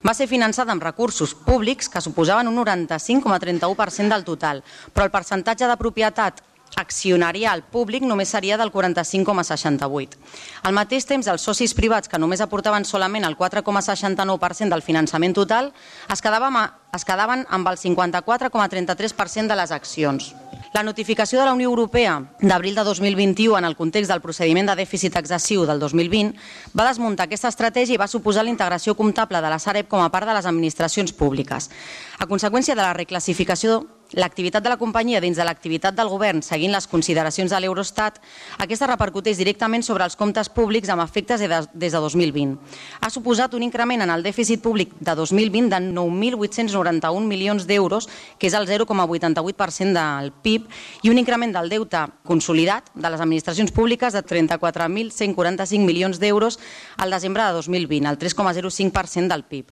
Va ser finançada amb recursos públics que suposaven un 95,31% del total, però el percentatge de propietat accionarial públic només seria del 45,68%. Al mateix temps, els socis privats, que només aportaven solament el 4,69% del finançament total, es quedaven amb el 54,33% de les accions. La notificació de la Unió Europea d'abril de 2021 en el context del procediment de dèficit excessiu del 2020 va desmuntar aquesta estratègia i va suposar la integració comptable de la Sareb com a part de les administracions públiques. A conseqüència de la reclassificació, l'activitat de la companyia dins de l'activitat del govern, seguint les consideracions de l'Eurostat, aquesta repercuteix directament sobre els comptes públics amb efectes des de 2020. Ha suposat un increment en el dèficit públic de 2020 de 9.891 milions d'euros, que és el 0,88% del PIB, i un increment del deute consolidat de les administracions públiques de 34.145 milions d'euros al desembre de 2020, el 3,05% del PIB.